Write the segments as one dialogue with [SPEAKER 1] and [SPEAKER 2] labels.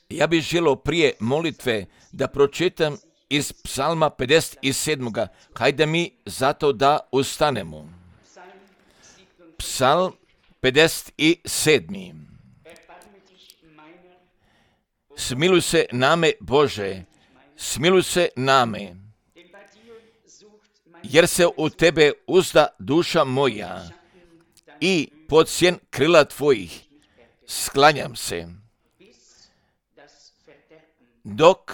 [SPEAKER 1] Ja bih želio prije molitve da pročitam iz Psalma 57. Hajde mi zato da ustanemo. Psalm 57. Smiluj se name, Bože, smiluj se name, jer se u Tebe uzda duša moja i pod sjen krila Tvojih sklanjam se, dok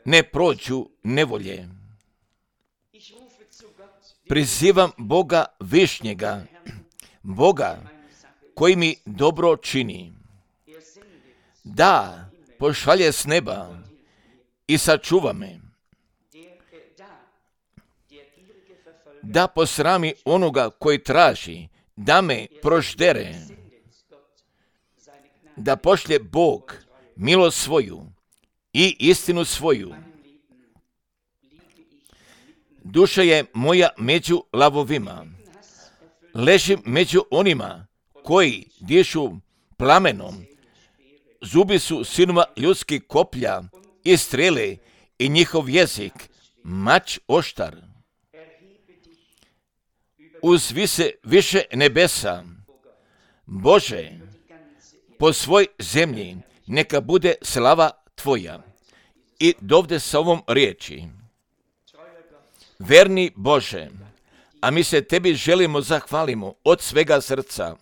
[SPEAKER 1] ne prođu nevolje. Prizivam Boga višnjega, Boga koji mi dobro čini, da pošalje s neba i sačuva me, da posrami onoga koji traži, da me proždere, da pošlje Bog milost svoju i istinu svoju. Duša je moja među lavovima, ležim među onima koji dišu plamenom, zubi su sinova ljudskih koplja i strele i njihov jezik mač oštar. Uzvi se više nebesa, Bože, po svoj zemlji neka bude slava Tvoja. I dovde sa ovom riječi: verni Bože, a mi se Tebi želimo zahvalimo od svega srca,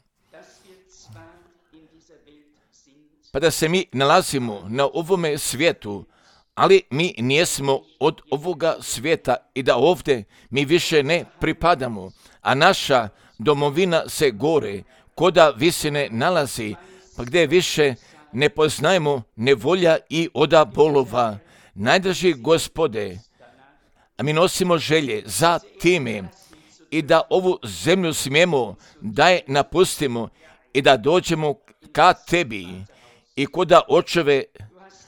[SPEAKER 1] pa da se mi nalazimo na ovome svijetu, ali mi nijesmo od ovoga svijeta i da ovdje mi više ne pripadamo, a naša domovina se gore, koda visine nalazi, pa gdje više ne poznajemo nevolja i oda bolova. Najdraži Gospode, a mi nosimo želje za time i da ovu zemlju smijemo da je napustimo i da dođemo ka Tebi i koda očeve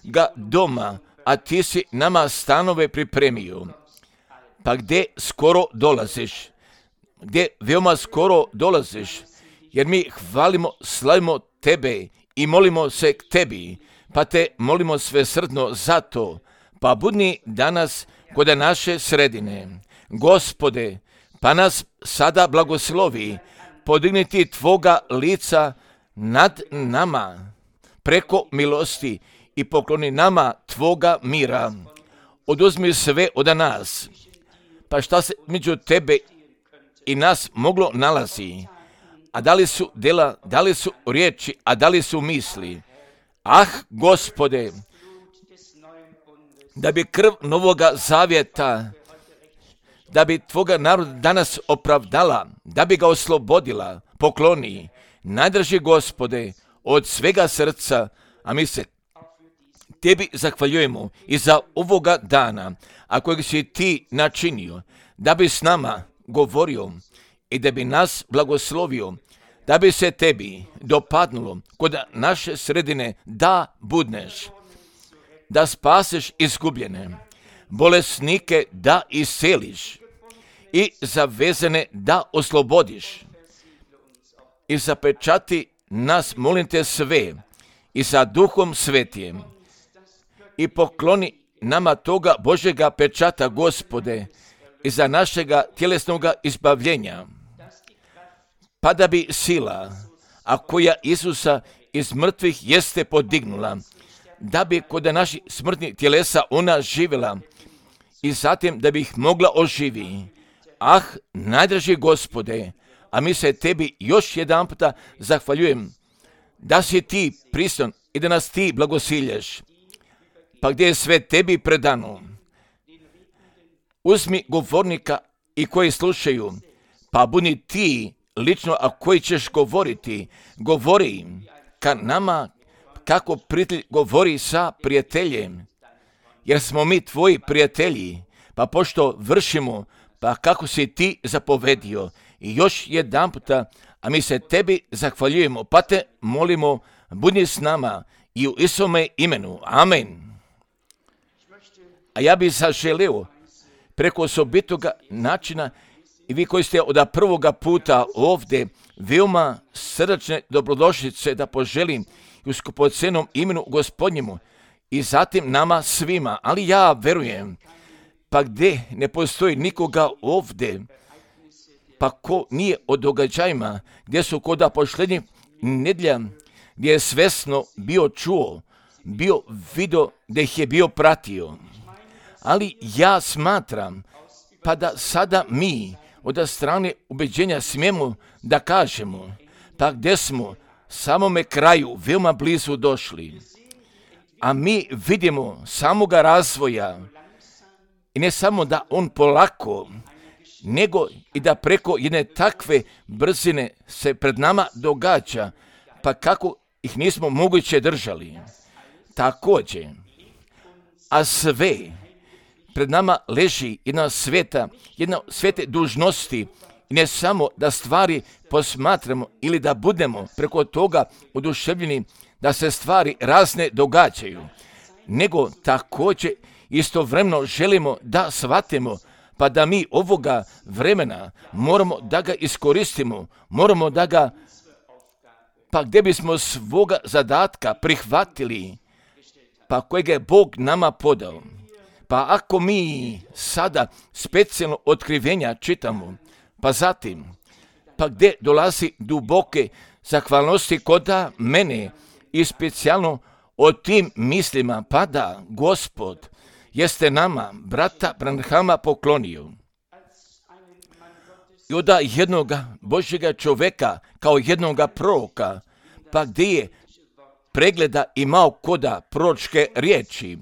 [SPEAKER 1] ga doma, a Ti si nama stanove pripremio. Pa gdje skoro dolaziš, gdje veoma skoro dolaziš, jer mi hvalimo, slavimo Tebe i molimo se k Tebi, pa Te molimo svesrdno za to, pa budni danas kod naše sredine. Gospode, pa nas sada blagoslovi, podigniti Tvoga lica nad nama, preko milosti i pokloni nama Tvoga mira. Oduzmi sve od nas, pa šta se među Tebe i nas moglo nalazi, a da li su dela, da li su riječi, a da li su misli. Ah, Gospode, da bi krv novoga zavjeta, da bi Tvoga naroda danas opravdala, da bi ga oslobodila, pokloni. Najdraži Gospode, od svega srca, a mi se Tebi zahvaljujemo i za ovoga dana, a kojeg si Ti načinio, da bi s nama govorio i da bi nas blagoslovio, da bi se Tebi dopadnulo kod naše sredine da budneš, da spaseš izgubljene, bolesnike da isceliš i zavezane da oslobodiš i zapečati nas, molim Te, sve i sa Duhom Svetijem i pokloni nama toga Božjega pečata, Gospode, i za našega tjelesnoga izbavljenja, pa da bi sila, a koja Isusa iz mrtvih jeste podignula, da bi kod naših smrtnih tjelesa ona živjela i zatim da bi ih mogla oživi. Ah, najdraži Gospode, a mi se Tebi još jedan puta zahvaljujem da si Ti pristojan i da nas Ti blagosilješ, pa gdje je sve Tebi predano. Uzmi govornika i koji slušaju, pa budi Ti lično, a koji ćeš govoriti, govori ka nama kako prijatelj govori sa prijateljem, jer smo mi Tvoji prijatelji, pa pošto vršimo, pa kako si Ti zapovedio. I još jedan puta, a mi se Tebi zahvaljujemo, pa Te molimo, budi s nama i u Isome imenu. Amen. A ja bih zaželio preko osobitoga načina i vi koji ste od prvoga puta ovdje veoma srdačne dobrodošlice da poželim i u skupocenom imenu Gospodnjemu i zatim nama svima. Ali ja verujem, pa gdje ne postoji nikoga ovdje, pa ko nije o događajima gdje su koda posljednjih nedjelja, gdje je svesno bio čuo, bio vidio, gdje ih je bio pratio. Ali ja smatram, pa da sada mi od strane ubeđenja smijemo da kažemo, pa gdje smo samome kraju veoma blizu došli, a mi vidimo samoga razvoja i ne samo da on polako, nego i da preko jedne takve brzine se pred nama događa, pa kako ih nismo moguće držali. Također, a sve pred nama leži jedna svete dužnosti i ne samo da stvari posmatramo ili da budemo preko toga oduševljeni da se stvari razne događaju, nego također istovremeno želimo da shvatimo pa da mi ovoga vremena moramo da ga iskoristimo, moramo da ga, pa gdje bismo svoga zadatka prihvatili, pa kojega je Bog nama podao. Pa ako mi sada specijalno otkrivenja čitamo, pa zatim, pa gdje dolazi duboke zahvalnosti koda mene i specijalno o tim mislima, pa da Gospod jeste nama, brata Branhama, poklonio. I od jednoga Božjega čovjeka kao jednoga proroka, pa gdje je pregleda imao koda proročke riječi,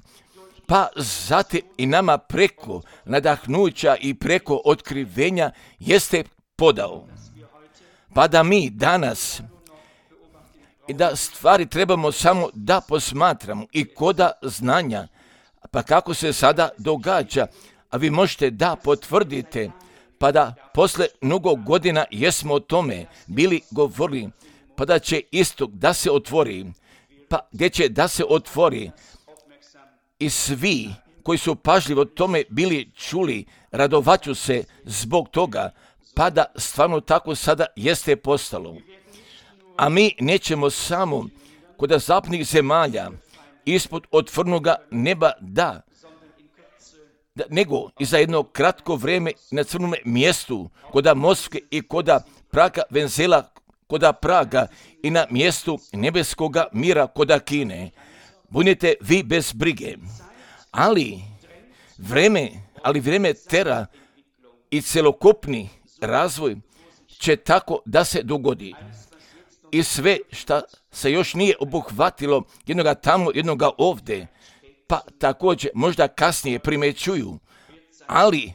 [SPEAKER 1] pa zatim i nama preko nadahnuća i preko otkrivenja jeste podao. Pa da mi danas i da stvari trebamo samo da posmatramo i koda znanja, pa kako se sada događa, a vi možete da potvrdite, pa da posle mnogo godina jesmo o tome bili govorili, pa da će istok da se otvori, pa gdje će da se otvori i svi koji su pažljivo o tome bili čuli, radovaću se zbog toga, pa da stvarno tako sada jeste postalo. A mi nećemo samo kod zapadnih zemalja ispod otvornoga neba nego i za jedno kratko vrijeme na crnome mjestu koda Moskve i koda Praga Venzela koda Praga i na mjestu nebeskoga mira koda Kine. Budite vi bez brige. Ali vrijeme tera i celokupni razvoj će tako da se dogodi. I sve što se još nije obuhvatilo jednoga tamo, jednoga ovdje, pa također možda kasnije primećuju, ali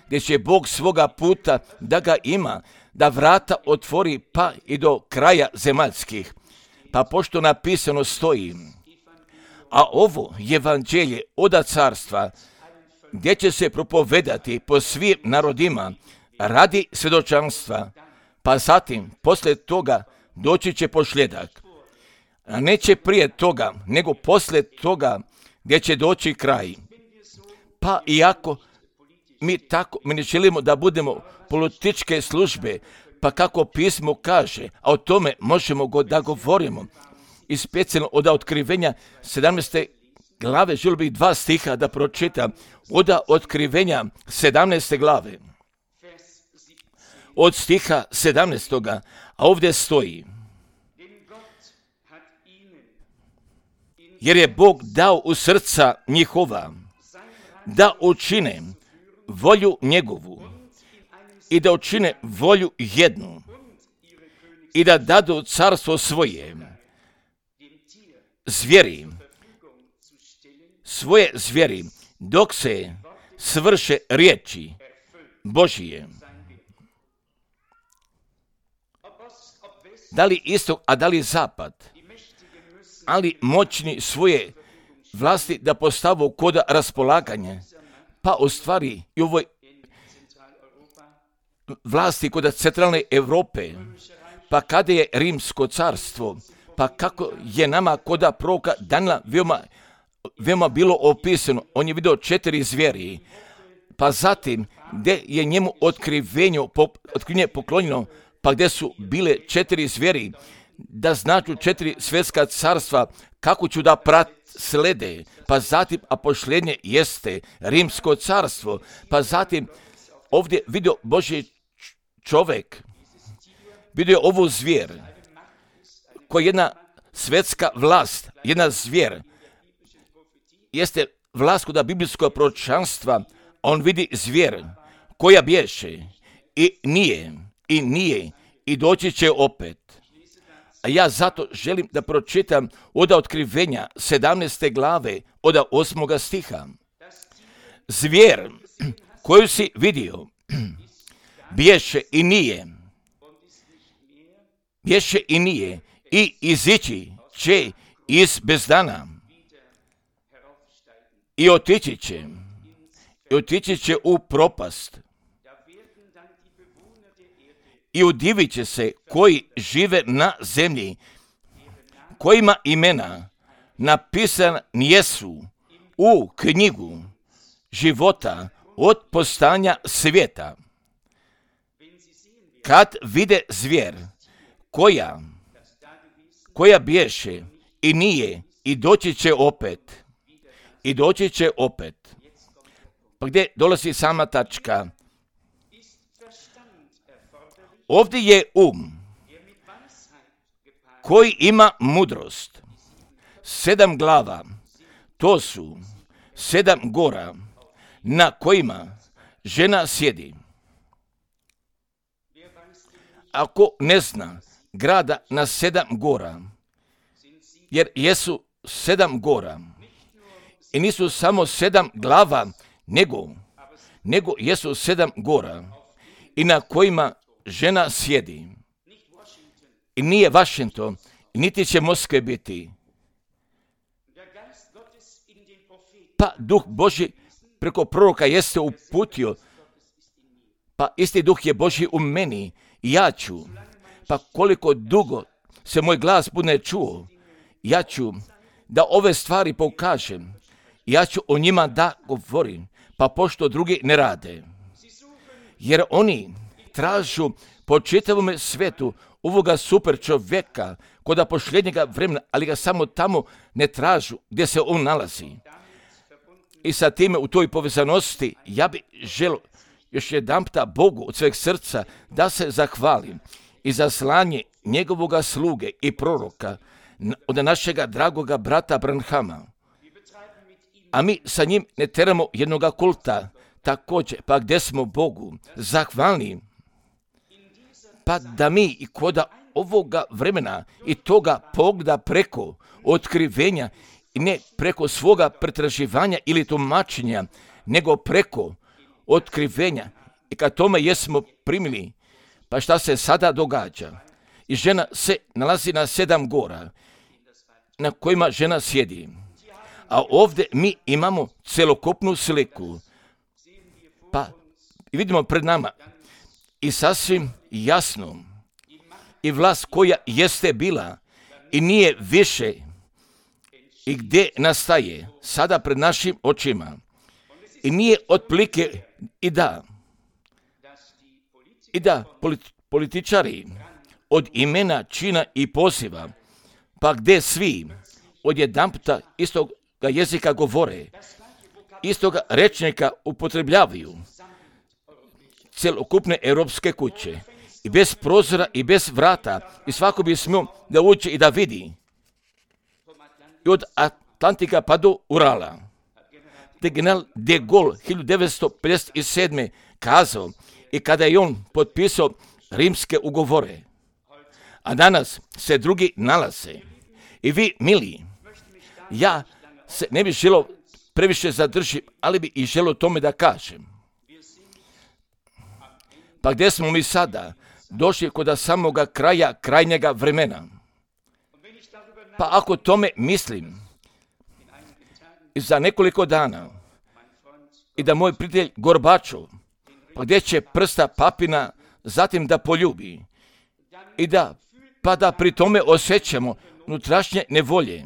[SPEAKER 1] gdje će Bog svoga puta da ga ima, da vrata otvori pa i do kraja zemaljskih. Pa pošto napisano stoji, a ovo evanđelje oda carstva, gdje će se propovedati po svim narodima radi svjedočanstva, pa zatim poslije toga doći će posljedak. A neće prije toga, nego poslije toga gdje će doći kraj. Pa iako mi ne želimo da budemo političke službe, pa kako pismo kaže, a o tome možemo da govorimo. I specijalno od otkrivenja 17. glave, želio bih 2 stiha da pročitam. Od otkrivenja 17. glave. Od stiha 17. a ovdje stoji. Jer je Bog dao u srca njihova da učine volju njegovu i da učine volju jednu i da dadu carstvo svoje svoje zvijeri, dok se svrše riječi Božije. Da li istok, a da li zapad, ali moćni svoje vlasti da postavu kod raspolaganja, pa u stvari i ovoj vlasti kod centralne Europe, pa kada je Rimsko carstvo, pa kako je nama kod proroka Danila veoma bilo opisano, on je vidio 4 zvijeri, pa zatim gdje je njemu otkrivenje poklonjeno, pa gdje su bile 4 zvijeri, da značu 4 svjetska carstva, kako ću da slede, pa zatim apošljenje jeste rimsko carstvo, pa zatim ovdje vidio Božji čovjek, vidio ovu zvijer, koja je jedna svjetska vlast, jedna zvijer, jeste vlast kod biblijskog proročanstva, on vidi zvijer koja bješe i nije i doći će opet. A ja zato želim da pročitam od Otkrivenja 17. glave od 8. stiha. Zvijer koju si vidio bješe i nije i izići će iz bezdana i otići će u propast. I udivit će se koji žive na zemlji, kojima imena napisana jesu u knjigu života od postanja svijeta. Kad vide zvijer koja bješe i nije i doći će opet. Pa gdje dolazi sama tačka? Ovdje je koji ima mudrost. 7 glava, to su 7 gora na kojima žena sjedi. Ako ne zna grada na 7 gora, jer jesu 7 gora i nisu samo 7 glava, nego jesu 7 gora i na kojima žena sjedi. I nije Washington, niti će Moskve biti. Pa Duh Božji preko proroka jeste uputio, pa isti Duh je Božji u meni i ja ću, pa koliko dugo se moj glas bude čuo, ja ću da ove stvari pokažem, ja ću o njima da govorim, pa pošto drugi ne rade. Jer oni tražu po čitavome svetu ovoga super čovjeka kod posljednjega vremena, ali ga samo tamo ne tražu gdje se on nalazi. I sa time u toj povezanosti ja bih želio još jedanputa Bogu od sveg srca da se zahvalim i za slanje njegovoga sluge i proroka od našega dragoga brata Branhama. A mi sa njim ne teramo jednoga kulta, također, pa gdje smo Bogu zahvalni, pa da mi i kod ovoga vremena i toga pogleda preko otkrivenja i ne preko svoga pretraživanja ili tumačenja, nego preko otkrivenja. I kad tome jesmo primili, pa šta se sada događa? I žena se nalazi na 7 gora na kojima žena sjedi. A ovdje mi imamo celokupnu sliku. Pa vidimo pred nama i sasvim jasno i vlast koja jeste bila i nije više i gdje nastaje sada pred našim očima. I nije otplike i da političari od imena, čina i poziva, pa gdje svi odjedanputa istoga jezika govore, istoga rečnika upotrebljavaju, celokupne europske kuće i bez prozora i bez vrata i svako bi smio da uđe i da vidi. I od Atlantika pa do Urala. Te general de Gaulle 1957. kazao i kada je on potpisao rimske ugovore. A danas se drugi nalaze. I vi, mili, ja se ne bih želio previše zadržiti, ali bi i želio tome da kažem. Pa gdje smo mi sada? Došli kod samoga kraja krajnjega vremena. Pa ako tome mislim, i za nekoliko dana, i da moj prijatelj Gorbačov, pa gdje će prsta papina zatim da poljubi, i da pri tome osjećamo unutrašnje nevolje.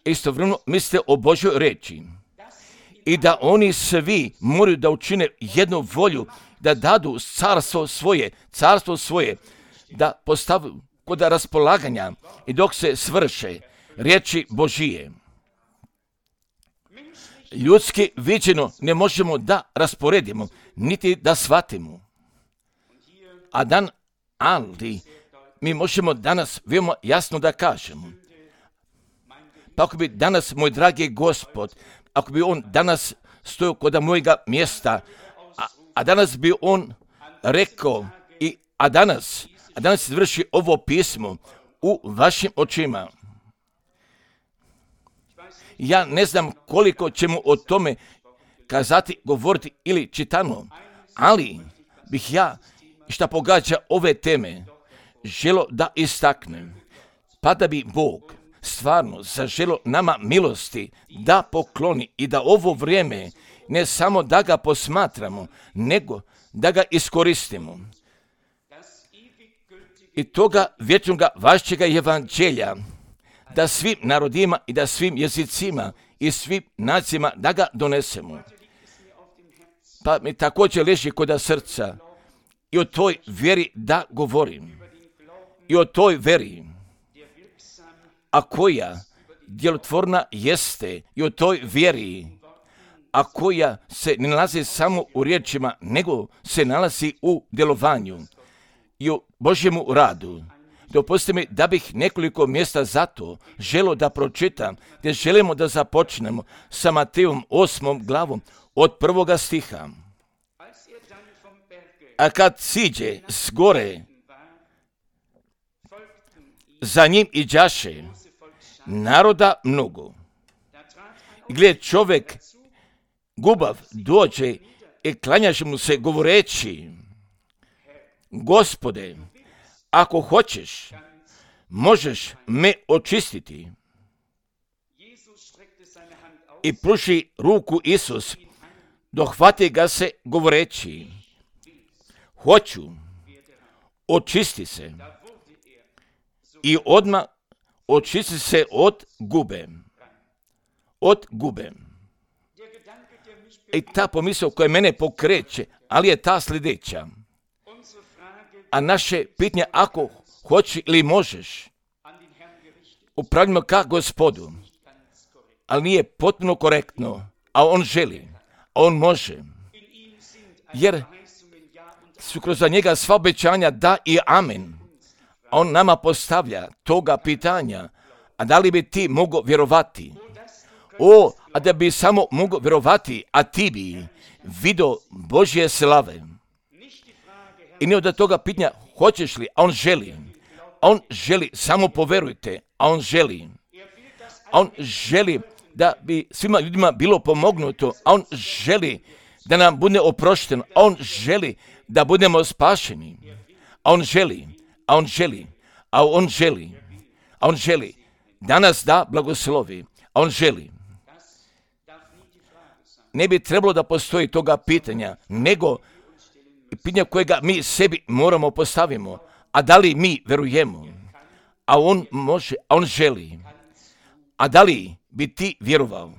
[SPEAKER 1] Istovremeno mislite o Božjoj reči i da oni svi moraju da učine jednu volju, da dadu carstvo svoje, da postavu kod raspolaganja i dok se svrše riječi Božije. Ljudski viđeno ne možemo da rasporedimo, niti da shvatimo. Ali mi možemo danas veoma jasno da kažemo. Pa ako bi danas, moj dragi Gospod, ako bi on danas stojao kod mojega mjesta, a danas bi on rekao, a danas izvrši ovo pismo u vašim očima. Ja ne znam koliko ćemo o tome kazati, govoriti ili čitano, ali bih ja, šta pogađa ove teme, želo da istaknem, pa da bi Bog stvarno zaželo nama milosti da pokloni i da ovo vrijeme ne samo da ga posmatramo, nego da ga iskoristimo. I toga vječnoga vašćega evanđelja, da svim narodima i da svim jezicima i svim nacijama da ga donesemo. Pa mi također leži kod srca i o toj vjeri da govorim. I o toj vjeri, a koja djelotvorna jeste, i o toj vjeri, a koja se ne nalazi samo u riječima, nego se nalazi u djelovanju i u Božjemu radu. Dopustite mi da bih nekoliko mjesta za to želio da pročitam, gdje želimo da započnemo sa Matejom 8. glavom od 1. stiha. A kad siđe s gore, za njim iđaše naroda mnogo. I gled, čovjek gubav dođe i klanjaše mu se govoreći: Gospode, ako hoćeš, možeš me očistiti. I pruži ruku Isus, dohvati ga se govoreći: Hoću, očisti se. I odmah očisti se od gube. Od gube. I ta pomisao koja mene pokreće, ali je ta sljedeća. A naše pitanje, ako hoći ili možeš, upravljamo ka Gospodu, ali nije potpuno korektno, a on želi, a on može. Jer su kroz njega sva obećanja da i amen. A on nama postavlja toga pitanja, a da li bi ti mogao vjerovati? A da bi samo mogao vjerovati, a ti bi vidio Božje slave. I ne od toga pitanja hoćeš li, a on želi. A on želi, samo poverujte, a on želi. A on želi da bi svima ljudima bilo pomognuto, a on želi da nam bude oprošteno, a on želi da budemo spašeni. A on želi, a on želi, a on želi, a on želi da nas da blagoslovi, a on želi. Ne bi trebalo da postoji toga pitanja, nego pitanja kojega mi sebi moramo postavimo. A da li mi verujemo? A on može, a on želi. A da li bi ti vjerovao?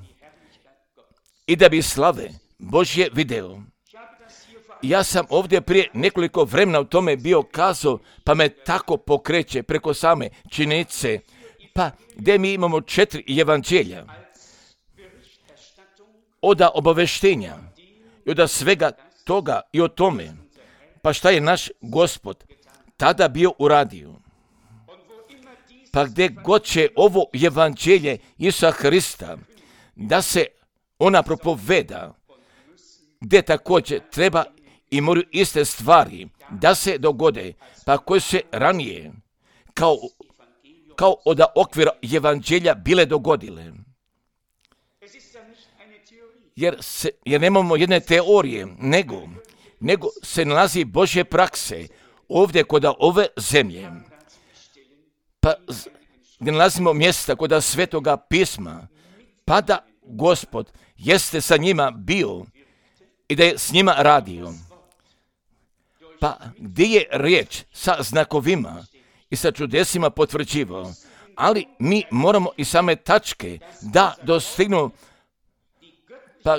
[SPEAKER 1] I da bi slave Božje video. Ja sam ovdje prije nekoliko vremena o tome bio kazao, pa me tako pokreće preko same činjenice, pa gdje mi imamo 4 evanđelja. Oda obaveštenja i oda svega toga i o tome, pa šta je naš Gospod tada bio uradio. Pa gdje god će ovo evanđelje Isusa Hrista, da se ona propoveda, gdje također treba i moraju iste stvari da se dogode, pa koje se ranije kao od okvira evanđelja bile dogodile. Jer nemamo jedne teorije, nego se nalazi Božje prakse ovdje kod ove zemlje. Pa gdje nalazimo mjesta kod Svetoga pisma, pa da Gospod jeste sa njima bio i da je s njima radio. Pa gdje je riječ sa znakovima i sa čudesima potvrđivao, ali mi moramo i same tačke da dostignu, pa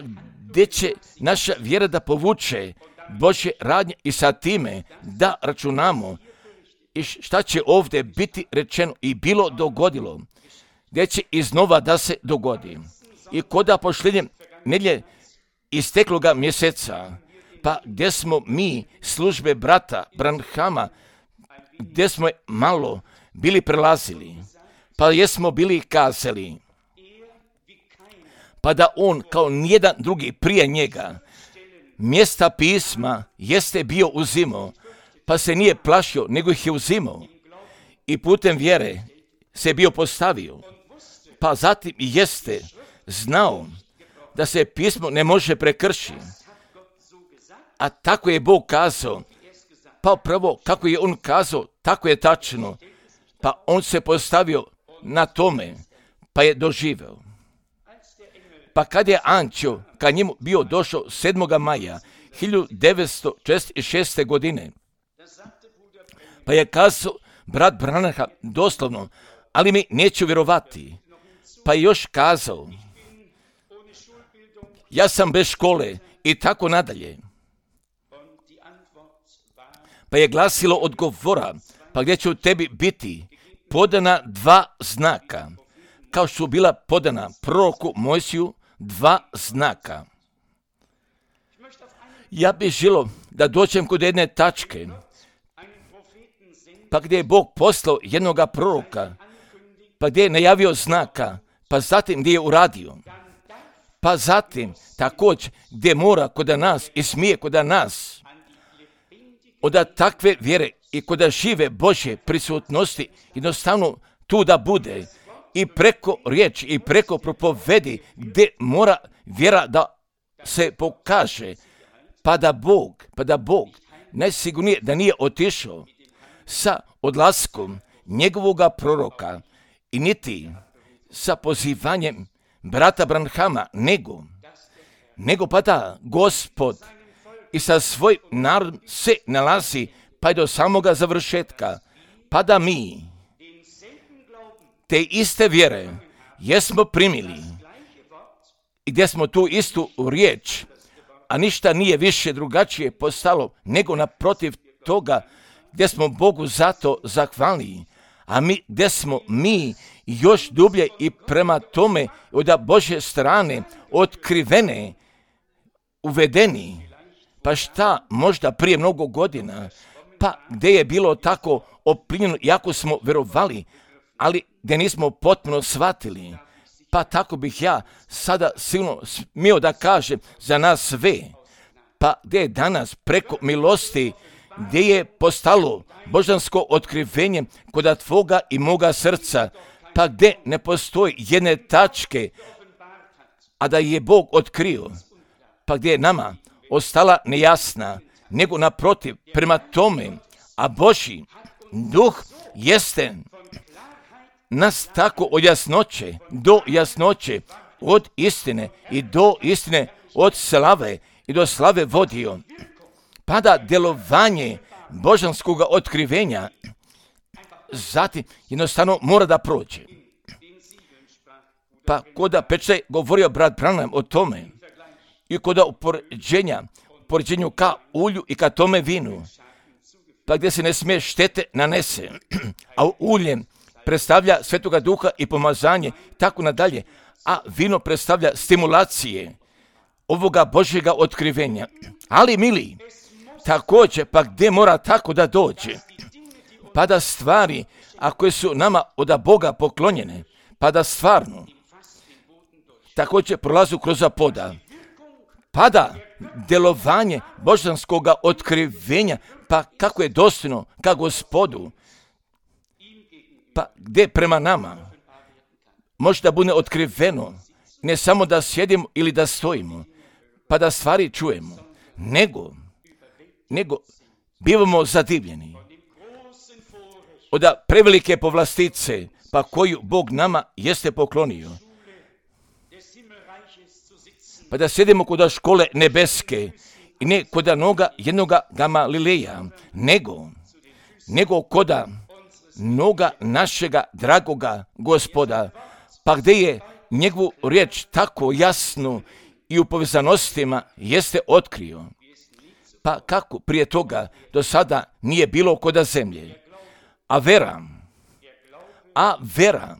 [SPEAKER 1] gdje će naša vjera da povuče Božje radnje i sa time da računamo i šta će ovdje biti rečeno i bilo dogodilo, gdje će iznova da se dogodi. I koda posljednje nedjelje istekloga mjeseca, pa gdje smo mi službe brata Branhama, gdje smo malo bili prelazili, pa jesmo bili kazali, pa da on kao nijedan drugi prije njega mjesta pisma jeste bio uzimao, pa se nije plašio, nego ih je uzimao i putem vjere se bio postavio, pa zatim jeste znao da se pismo ne može prekršiti. A tako je Bog kazao, pa prvo kako je on kazao, tako je tačno, pa on se postavio na tome, pa je doživeo. Pa kad je anđeo ka njemu bio došao 7. maja 1946. godine, pa je kazao brat Branham doslovno, ali mi neću vjerovati, pa je još kazao, ja sam bez škole i tako nadalje. Pa je glasilo odgovora, pa gdje će u tebi biti podana 2 znaka, kao što su bila podana proroku Mojsiju 2 znaka. Ja bih želio da dođem kod jedne tačke, pa gdje je Bog poslao jednoga proroka, pa gdje je najavio znaka, pa zatim gdje je uradio, pa zatim također gdje mora kod nas i smije kod nas, od takve vjere i kod žive Božje prisutnosti jednostavno tu da bude i preko riječi i preko propovedi gdje mora vjera da se pokaže, pa da Bog najsigurnije da nije otišao sa odlaskom njegovoga proroka i niti sa pozivanjem brata Branhama, nego pa da Gospod i sa svoj narod se nalazi pa i do samoga završetka, pa da mi te iste vjere jesmo primili i gdje smo tu istu riječ, a ništa nije više drugačije postalo nego naprotiv toga gdje smo Bogu zato zahvalni, a mi gdje smo mi još dublje i prema tome od Božje strane otkrivene, uvedeni, pa šta možda prije mnogo godina, pa gdje je bilo tako oplinjeno, jako smo vjerovali, ali gdje nismo potpuno shvatili, pa tako bih ja sada silno smio da kažem za nas sve, pa gdje je danas preko milosti, gdje je postalo božansko otkrivenje kod tvoga i moga srca, pa gdje ne postoji jedne tačke, a da je Bog otkrio, pa gdje je nama ostala nejasna, nego naprotiv prema tome, a Božji duh jeste nas tako od jasnoće do jasnoće, od istine i do istine, od slave i do slave vodio, pa da djelovanje božanskog otkrivenja zatim jednostavno mora da prođe. Pa koda Pečaj govorio brat Branham o tome i koda upoređenju ka ulju i ka tome vinu, pa gdje se ne smije štete nanese, a ulje predstavlja Svetoga Duha i pomazanje, tako nadalje, a vino predstavlja stimulacije ovoga Božjega otkrivenja. Ali mili, također, pa gdje mora tako da dođe, pa da stvari, ako su nama od Boga poklonjene, pa da stvarno također prolazu kroz poda, pa da djelovanje božanskog otkrivenja, pa kako je dostojno ka Gospodu, pa gdje prema nama može da bude otkriveno, ne samo da sjedimo ili da stojimo, pa da stvari čujemo, nego bivamo zadivljeni od prevelike povlastice, pa koju Bog nama jeste poklonio, pa da sjedimo kod škole nebeske i ne kod noga jednoga Gamalileja, nego kod noga našega dragoga Gospoda, pa gdje je njegovu riječ tako jasnu i u povezanostima jeste otkrio, pa kako prije toga do sada nije bilo kod zemlje, A vera,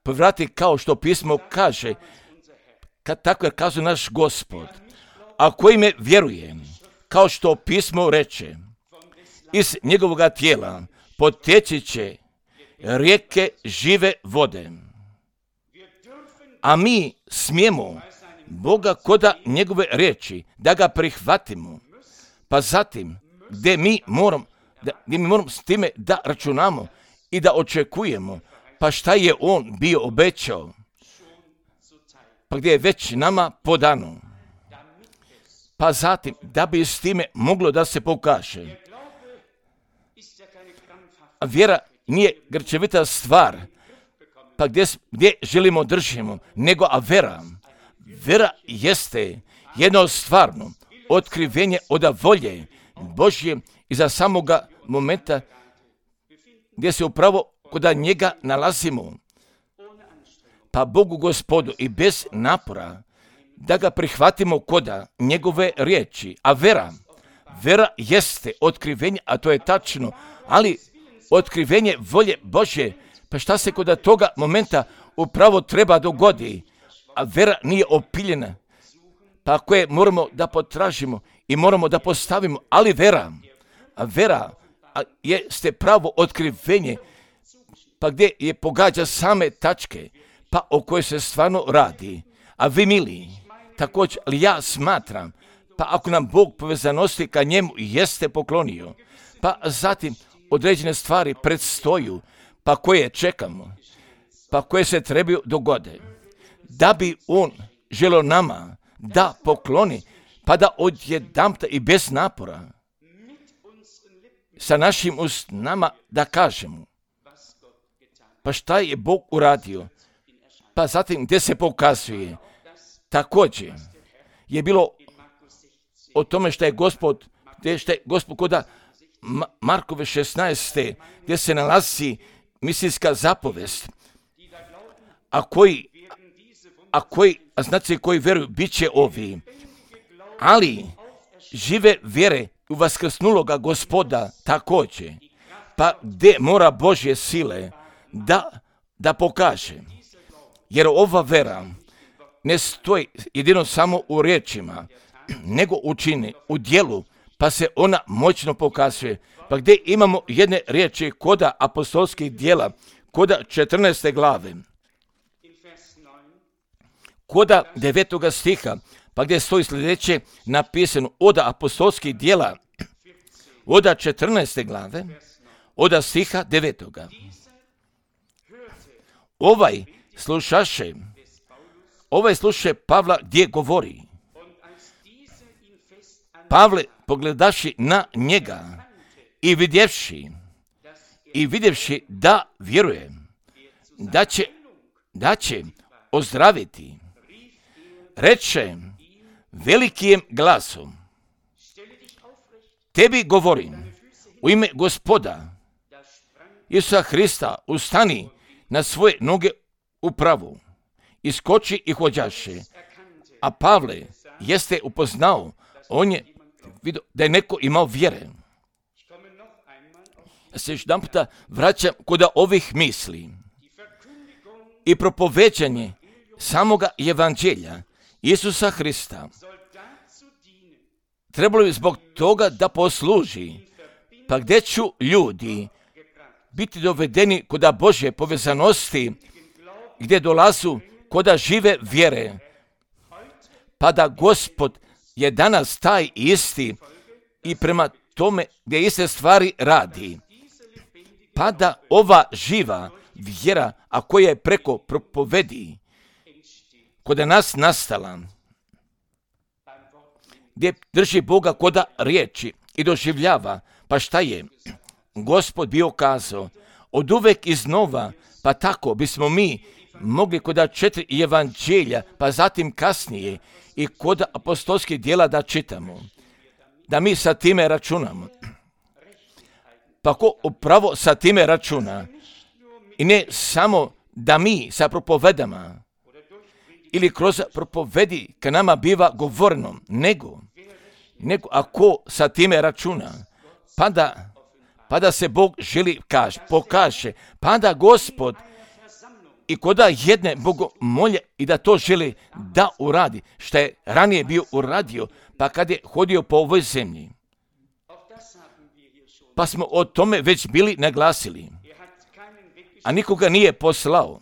[SPEAKER 1] povrati kao što pismo kaže, tako je kazao naš Gospod, a koji me vjeruje, kao što pismo reče, iz njegovoga tijela poteći će rijeke žive vode. A mi smijemo Boga koda njegove riječi da ga prihvatimo, pa zatim gdje mi moramo s time da računamo i da očekujemo, pa šta je on bio obećao, pa gdje je već nama podano, pa zatim da bi s time moglo da se pokaže. A vjera nije grčevita stvar, pa gdje želimo držimo, nego vera jeste jedno stvarno otkrivenje od volje Božje i za samoga momenta gdje se upravo kod njega nalazimo. Pa Bogu Gospodu i bez napora da ga prihvatimo koda njegove riječi. A vera jeste otkrivenje, a to je tačno, ali otkrivenje volje Božje, pa šta se kod toga momenta upravo treba dogodi, a vera nije opiljena, pa koje moramo da potražimo i moramo da postavimo, ali vera jeste pravo otkrivenje, pa gdje je pogađa same tačke, pa o kojoj se stvarno radi. A vi mili, također, ali ja smatram, pa ako nam Bog povezanosti ka njemu jeste poklonio, pa zatim određene stvari predstoju, pa koje čekamo, pa koje se trebaju dogode, da bi on želio nama da pokloni, pa da odjedanput i bez napora sa našim usnama da kažemo, pa šta je Bog uradio, pa zatim gdje se pokazuje. Također je bilo o tome što je Gospod koda Markove 16. gdje se nalazi misijska zapovest, a znači koji vjeruju bit će ovi, ali žive vjere u vaskrsnuloga Gospoda također, pa gdje mora Božje sile da pokaže, jer ova vera ne stoji jedino samo u riječima, nego učini u djelu, pa se ona moćno pokazuje. Pa gdje imamo jedne riječi koda apostolskih djela, koda 14. glave, koda 9. stiha, pa gdje stoji sljedeće napisano od apostolskih djela, od 14. glave, od stiha 9. Ovaj slušaše Pavla gdje govori. Pavle pogledaši na njega i vidjevši da vjeruje, da će ozdraviti, reče velikim glasom, tebi govorim u ime Gospoda Isusa Hrista, ustani na svoje noge upravo, iskoči i hođaše. A Pavle jeste upoznao, on je vidio da je neko imao vjere. Ja se još jedan puta vraćam kod ovih misli. I propoveđanje samoga evanđelja Isusa Hrista trebalo bi zbog toga da posluži, pa gdje ću ljudi biti dovedeni kod Božje povezanosti, gdje dolazu kod žive vjere, pa da Gospod je danas taj isti i prema tome gdje iste stvari radi, pa da ova živa vjera, a koja je preko propovedi kod nas nastala, gdje drži Boga koda riječi i doživljava, pa šta je Gospod bio kazao, od uvek iznova, pa tako bismo mi mogli kod 4 evanđelja, pa zatim kasnije i kod apostolskih djela da čitamo, da mi sa time računamo. Pa ko upravo sa time računa, i ne samo da mi sa propovedama ili kroz propovedi ka nama biva govoreno, nego ako sa time računa, pa da se Bog želi pokaže, pa da Gospod i koda jedne bogomolje i da to želi da uradi, što je ranije bio uradio, pa kad je hodio po ovoj zemlji. Pa smo o tome već bili naglasili. A nikoga nije poslao.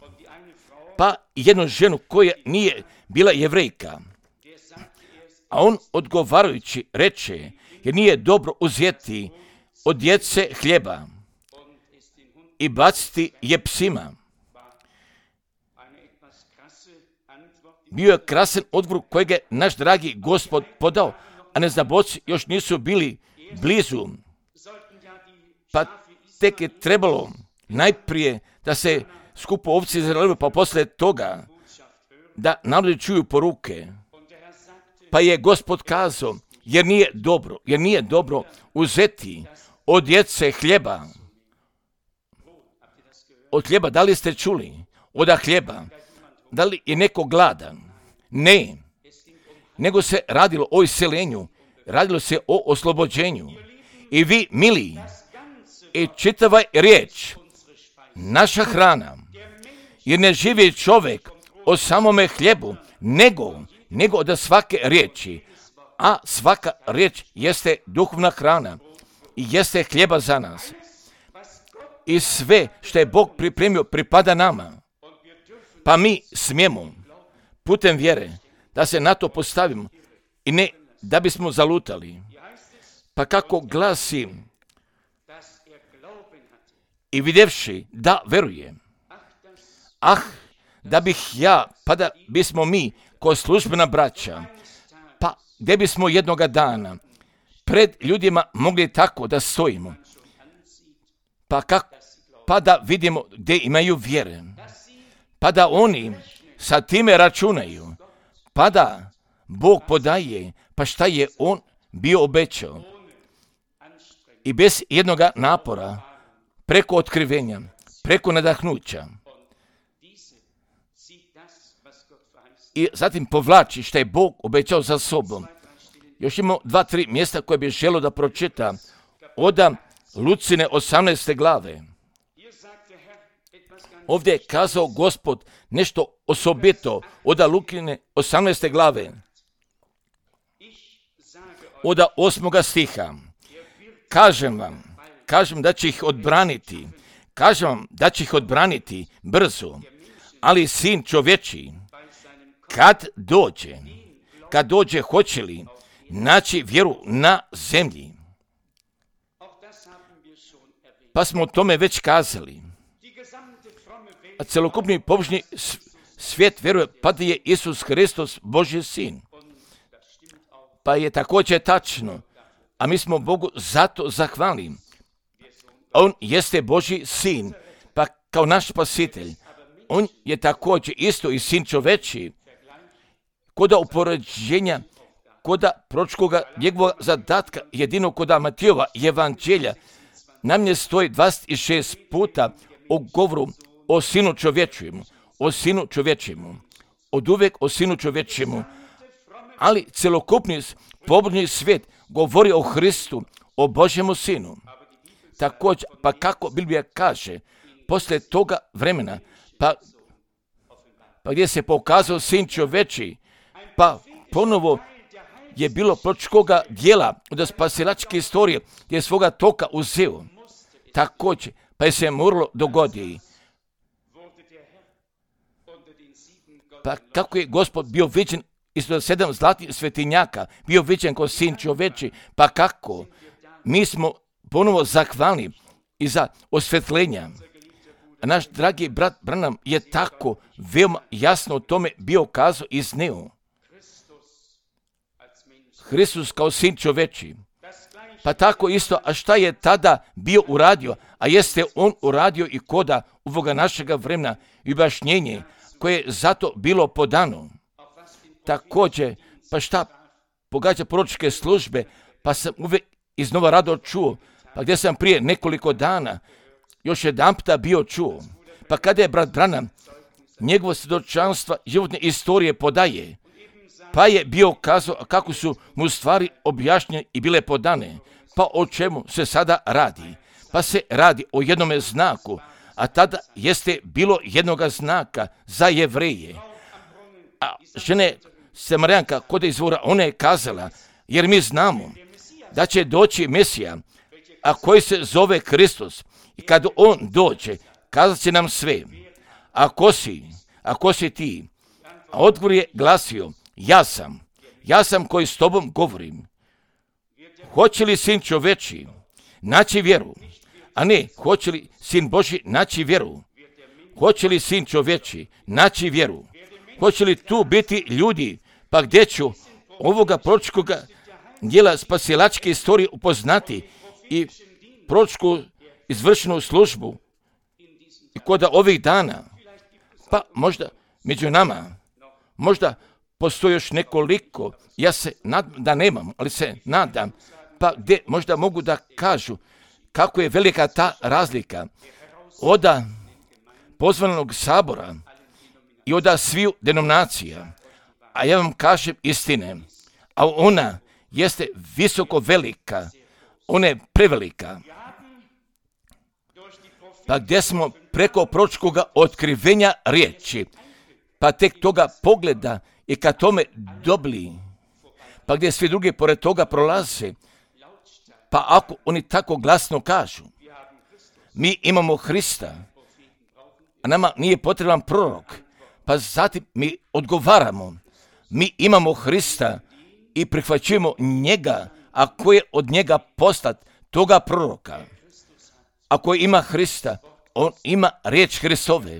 [SPEAKER 1] Pa jednu ženu koja nije bila Jevrejka. A on odgovarajući reče, jer nije dobro uzeti od djece hljeba i baciti je psima. Bio je krasan odgovor kojeg je naš dragi Gospod podao, a neznaboci još nisu bili blizu. Pa tek je trebalo najprije da se skupo ovci zalele, pa poslije toga da narodi čuju poruke. Pa je Gospod kazao, jer nije dobro uzeti od djece hljeba. Od hljeba, da li ste čuli? Od hljeba. Da li je neko gladan? Ne. Nego se radilo o iseljenju, radilo se o oslobođenju. I vi, mili, i čitava riječ, naša hrana, jer ne živi čovjek o samome hljebu, nego od svake riječi, a svaka riječ jeste duhovna hrana i jeste hljeba za nas. I sve što je Bog pripremio pripada nama, pa mi smijemo putem vjere da se na to postavimo i ne da bismo zalutali. Pa kako glasi, i vidjevši da veruje, da bih ja, pa da bismo mi, ko službena braća, pa gdje bismo jednoga dana pred ljudima mogli tako da stojimo, pa da vidimo gdje imaju vjere, pa da oni sa time računaju, pa da Bog podaje, pa šta je On bio obećao. I bez jednoga napora, preko otkrivenja, preko nadahnuća. I zatim povlači što je Bog obećao za sobom. Još imamo 2-3 mjesta koje bih želio da pročita. Od Lucine 18. glave. Ovdje je kazao Gospod nešto osobito od Lukine 18. glave. Od 8. stiha. Kažem da će ih odbraniti. Kažem vam da će ih odbraniti brzo. Ali sin čovječiji, kad dođe, hoće li naći vjeru na zemlji? Pa smo o tome već kazali. A celokupni pobožni svijet vjeruje pa da je Isus Hristos Božji sin. Pa je također tačno, a mi smo Bogu zato zahvalni. On jeste Božji sin, pa kao naš spasitelj. On je također isto i sin čovečiji. Koda upoređenja, koda pročkoga njegovog zadatka, jedino koda Matijova evanđelja, nam je stoji 26 puta o govoru o sinu čovječijemu, od uvijek o sinu čovječijemu, ali celokupni pobožni svijet govori o Hristu, o Božjemu sinu. Također, pa kako Biblija kaže, poslije toga vremena, pa gdje se pokazao sin čovječiji, pa ponovo je bilo pročkoga dijela od spasilačke istorije gdje je svoga toka uzeo. Također, pa je se moralo dogoditi. Pa kako je Gospod bio viđen ispod 7 zlatih svetinjaka, bio viđen kao sin čovječiji, pa kako? Mi smo ponovo zahvalni i za osvjetljenja. A naš dragi brat Branham je tako veoma jasno o tome bio kazao i izneo. Hristos kao sin čovječiji. Pa tako isto, a šta je tada bio uradio? A jeste on uradio i koda ovoga našega vremena i objašnjenje koje je zato bilo podano. Također, pa šta pogađa proročke službe, pa sam uvijek iznova rado čuo, pa gdje sam prije nekoliko dana još jedanputa bio čuo, pa kada je brat Branham njegovo svjedočanstva životne istorije podaje, pa je bio kazao kako su mu stvari objašnjene i bile podane, pa o čemu se sada radi. pa se radi o jednome znaku, a tada jeste bilo jednoga znaka za Jevreje. A žene Samarijanka kod izvora, ona je kazala, jer mi znamo da će doći Mesija, a koji se zove Kristus, i kad on dođe, kazat će nam sve. A ko si ti? A odgovor je glasio, ja sam koji s tobom govorim. Hoće li Sin čoveči naći vjeru? A ne, hoće li Sin Božji naći vjeru? Hoće li Sin čoveči naći vjeru? Hoće li tu biti ljudi? Pa gdje ću ovoga proročkog dijela spasilačke istorije upoznati i proročku izvršenu službu i kod ovih dana? Pa možda među nama, možda postoji još nekoliko, ja se nadam da nemam, ali se nadam, pa gdje možda mogu da kažu kako je velika ta razlika od pozvanog sabora i od sviju denominacija. A ja vam kažem istine, a ona jeste visoko velika, ona je prevelika. Pa gdje smo preko proročkog otkrivenja riječi, pa tek toga pogleda i kad tome dobili, pa gdje svi drugi pored toga prolaze, pa ako oni tako glasno kažu, mi imamo Hrista, a nama nije potreban prorok, pa zatim mi odgovaramo, mi imamo Hrista i prihvaćujemo njega, a ko je od njega postat toga proroka. Ako ima Hrista, on ima riječ Hristove.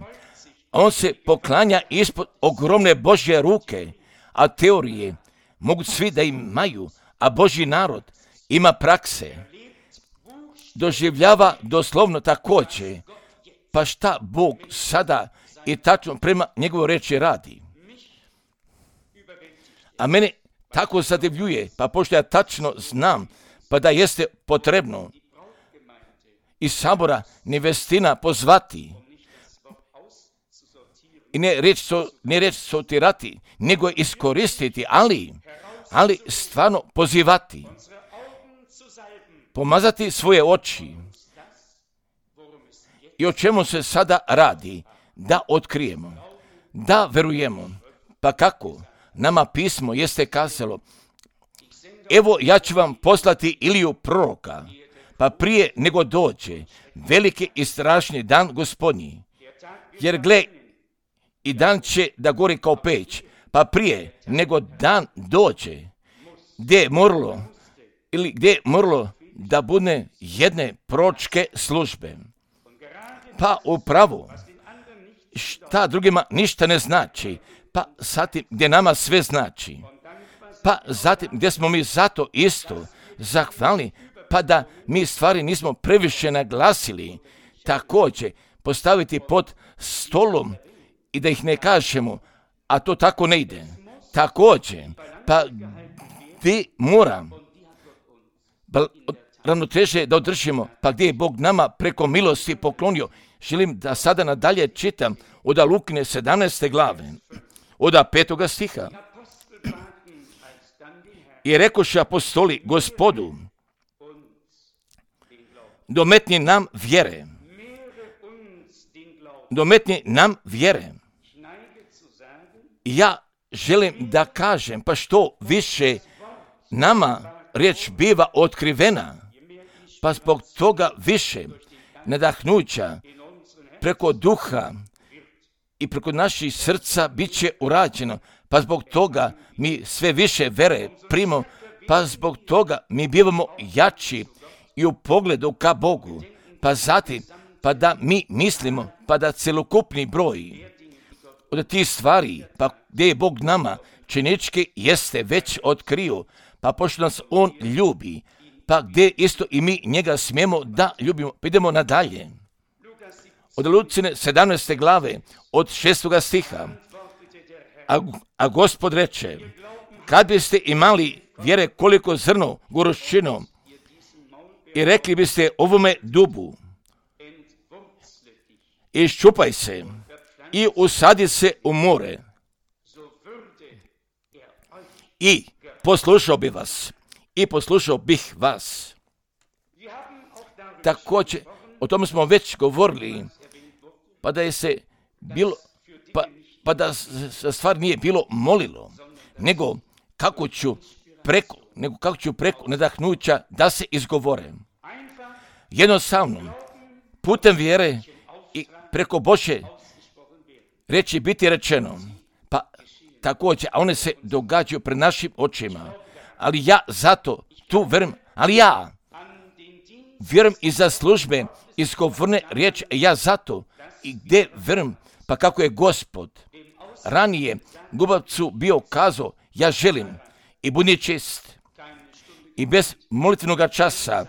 [SPEAKER 1] On se poklanja ispod ogromne Božje ruke, a teorije mogu svi da imaju, a Božji narod ima prakse. Doživljava doslovno također, pa šta Bog sada i tačno prema njegovoj reči radi. A mene tako zadivljuje, pa pošto ja tačno znam, pa da jeste potrebno iz sabora nevestina pozvati i ne reći sortirati, nego iskoristiti, ali stvarno pozivati, pomazati svoje oči. I o čemu se sada radi? Da otkrijemo, da verujemo. Pa kako? Nama pismo jeste kazalo, evo ja ću vam poslati Iliju proroka, pa prije nego dođe veliki i strašni dan Gospodnji. Jer gle, i dan će da gori kao peć, pa prije nego dan dođe, gdje je moralo da bude jedne proročke službe. Pa upravo, šta drugima ništa ne znači, pa zatim gdje nama sve znači, pa zatim gdje smo mi zato isto zahvalni, pa da mi stvari nismo previše naglasili, također postaviti pod stolom i da ih ne kažemo, a to tako ne ide. Također, pa gdje moram ravnoteže da održimo, pa gdje je Bog nama preko milosti poklonio. Želim da sada nadalje čitam od Lukine 17. glave, od 5. stiha. I rekoše apostoli Gospodu, dometni nam vjere. Ja želim da kažem, pa što više nama riječ biva otkrivena, pa zbog toga više nadahnuća preko duha i preko naših srca bit će urađeno, pa zbog toga mi sve više vere primamo, pa zbog toga mi bivamo jači i u pogledu ka Bogu, pa zatim, pa da mi mislimo, pa da celokupni broj od tih stvari, pa gdje je Bog nama činički jeste već otkrio, pa pošto nas On ljubi, pa gdje isto i mi njega smijemo da ljubimo. Idemo nadalje. Od Lucine 17. glave, od 6. stiha. A Gospod reče, kad biste imali vjere koliko zrno goruščino i rekli biste ovome dubu, iščupaj se i usadi se u more, i poslušao bih vas. također, o tome smo već govorili, pa da je se bilo, pa da stvar nije bilo molilo, nego kako ću preko nadahnuća da se izgovore. Jednostavno, putem vjere i preko Božje riječi biti rečeno, pa također, a one se događaju pred našim očima, ali ja zato tu vjerujem, ali ja vjerujem i za službe izgovorne riječi, ja zato i gdje vjerujem, pa kako je Gospod ranije Gubavcu bio kazao, ja želim i budi čist i bez molitvenog časa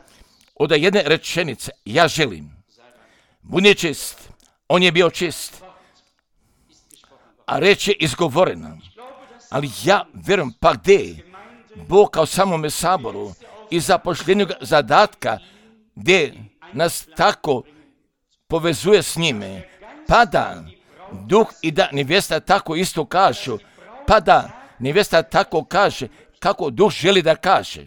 [SPEAKER 1] od jedne rečenice, ja želim, budi čist, on je bio čist, a reč je izgovorena, ali ja vjerujem, pa gdje Bog kao samome saboru i zapošljenju zadatka gdje nas tako povezuje s njime, pa da duh i da nevjesta tako isto kažu, pa da nevjesta tako kaže kako duh želi da kaže,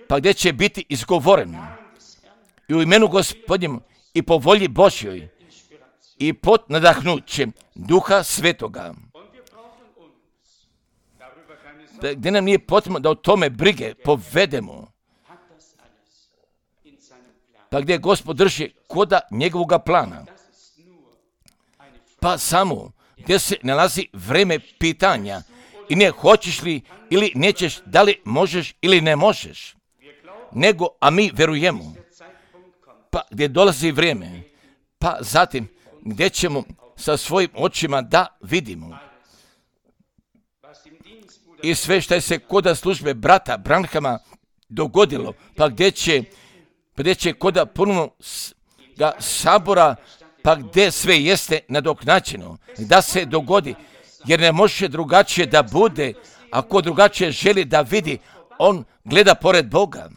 [SPEAKER 1] pa gdje će biti izgovoreno i u imenu Gospodnjem i po volji Božjoj i pod nadahnućem Duha Svetoga. Gdje nam nije potrebno da o tome brige povedemo, pa gdje Gospod drži koda njegovoga plana, pa samo gdje se nalazi vreme pitanja i ne hoćeš li ili nećeš, da li možeš ili ne možeš, nego, a mi verujemo, pa gdje dolazi vrijeme, pa zatim gdje ćemo sa svojim očima da vidimo. I sve što je se koda službe brata Branhama dogodilo, pa gdje će koda ponovno sabora, pa gdje sve jeste nadoknačeno, da se dogodi, jer ne može drugačije da bude, ako drugačije želi da vidi, on gleda pored Boga,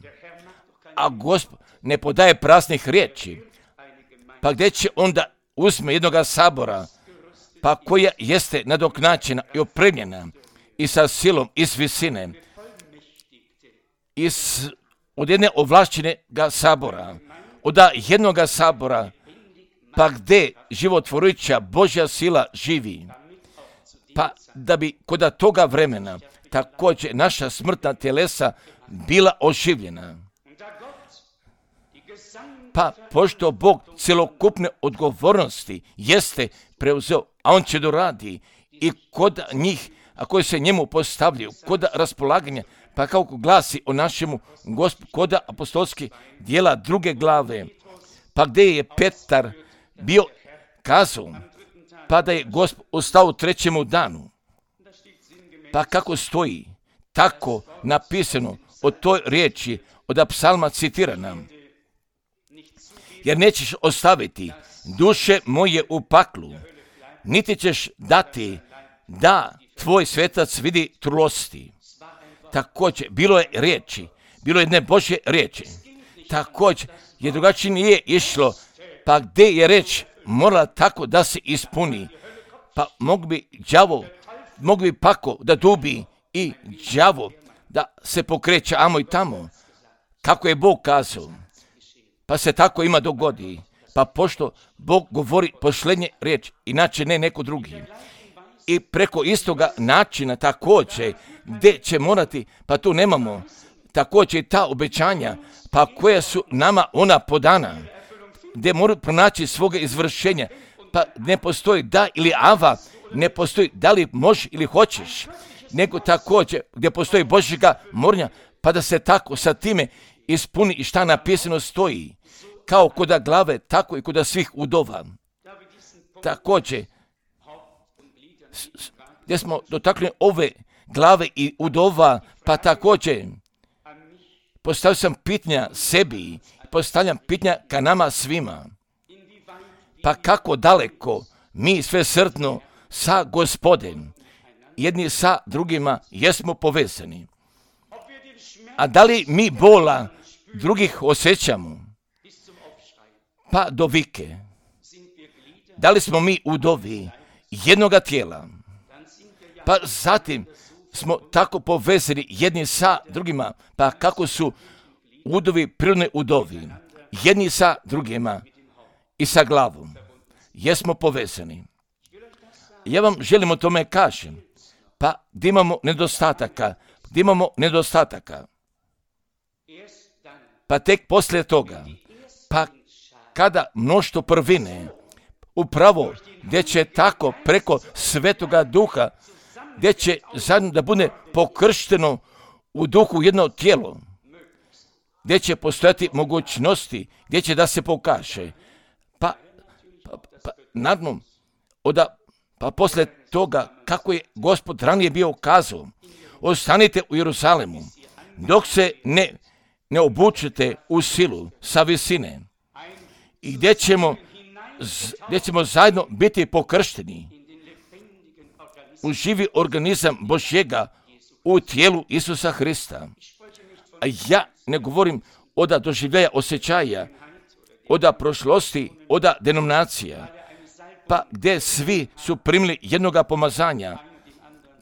[SPEAKER 1] a Gospod ne podaje praznih riječi, pa gdje će onda uzme jednoga sabora, pa koja jeste nadoknačena i opremljena i sa silom i s visine, od jedne ovlašćenega sabora, od jednoga sabora, pa gdje životvorujuća Božja sila živi, pa da bi kod toga vremena također naša smrtna telesa bila oživljena. Pa pošto Bog cjelokupne odgovornosti jeste preuzeo, a on će doradi i kod njih, a koji se njemu postavljaju, kod raspolaganja, pa kako glasi o našemu Gospodu, kod apostolskih dijela 2. glave, pa gdje je Petar bio kazao, pa da je Gospod ustao u 3. danu, pa kako stoji tako napisano o toj riječi od psalma citirana, jer nećeš ostaviti duše moje u paklu, niti ćeš dati da tvoj svetac vidi trulosti. Također, bilo je riječi, bilo je jedne Božje riječi, također je drugačije nije išlo, pa gdje je reč morala tako da se ispuni, pa mogu bi pako da dubi i đavo da se pokreće amo i tamo, kako je Bog kazao, pa se tako ima dogodi, pa pošto Bog govori posljednje riječ, inače ne neko drugi, i preko istoga načina također, gdje će morati, pa tu nemamo također ta obećanja, pa koja su nama ona podana, gdje moraju pronaći svoga izvršenja, pa ne postoji da ili ava, ne postoji da li možeš ili hoćeš, nego također gdje postoji Božjega morenja, pa da se tako sa time ispuni i šta napisano stoji, kao kod glave, tako i kod svih udova. Također, gdje smo dotakli ove glave i udova, pa također postavio sam pitanja sebi, postavljam pitanja ka nama svima. Pa kako daleko mi sve srdno sa Gospodem, jedni sa drugima jesmo povezani. A da li mi bola drugih osjećamo? Pa do vike. Da li smo mi udovi jednoga tijela? Pa zatim smo tako povezani jedni sa drugima, pa kako su udovi prirodni udovi. jedni sa drugima i sa glavom. Jesmo povezani. Ja vam želim o tome kažem. Pa gdje imamo nedostataka? Pa tek poslije toga, pa kada mnoštvo prvine, upravo gdje će tako preko Svetoga Duha, gdje će zajedno da bude pokršteno u duhu jedno tijelo, gdje će postojati mogućnosti, gdje će da se pokaže. Naravno, pa poslije toga, kako je Gospod ranije bio kazao, ostanite u Jeruzalemu, dok se ne obučete u silu sa visine i gdje ćemo zajedno biti pokršteni u živi organizam Božjega u tijelu Isusa Hrista. A ja ne govorim od doživljaja osjećaja, od prošlosti, od denominacija, pa gdje svi su primili jednoga pomazanja,